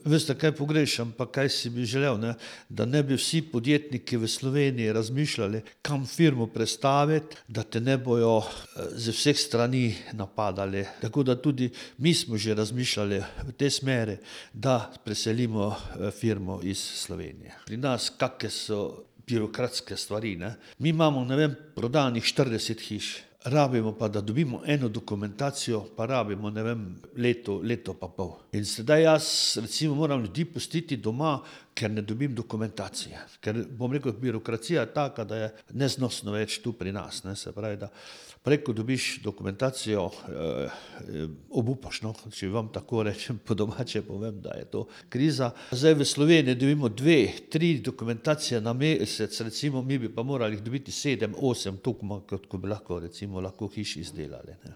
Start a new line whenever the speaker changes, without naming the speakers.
Veste, kaj pogrešam, pa kaj si bi želel, ne? Da ne bi vsi podjetniki v Sloveniji razmišljali, kam firmo prestaviti, da te ne bojo z vseh strani napadali. Tako da tudi mi smo že razmišljali v tej smeri, da preselimo firmo iz Slovenije. Pri nas kakšne so birokratske stvari, ne? Mi imamo, ne vem, prodanih 40 hiš. Rabimo pa, da dobimo eno dokumentacijo, pa rabimo, ne vem, leto pa pol. In sedaj jaz recimo moram ljudi pustiti doma, ker ne dobim dokumentacije. Ker bom rekel, birokracija je taka, da je neznosno več tu pri nas, ne. Se pravi, da prej ko dobiš dokumentacijo, obupaš, no, če vam tako rečem, po domače povem, da je to kriza. Zdaj v Sloveniji dobimo 2, 3 dokumentacije na mesec, recimo mi bi pa morali jih dobiti 7, 8, toliko kot bi lahko recimo hiš izdelali, ne.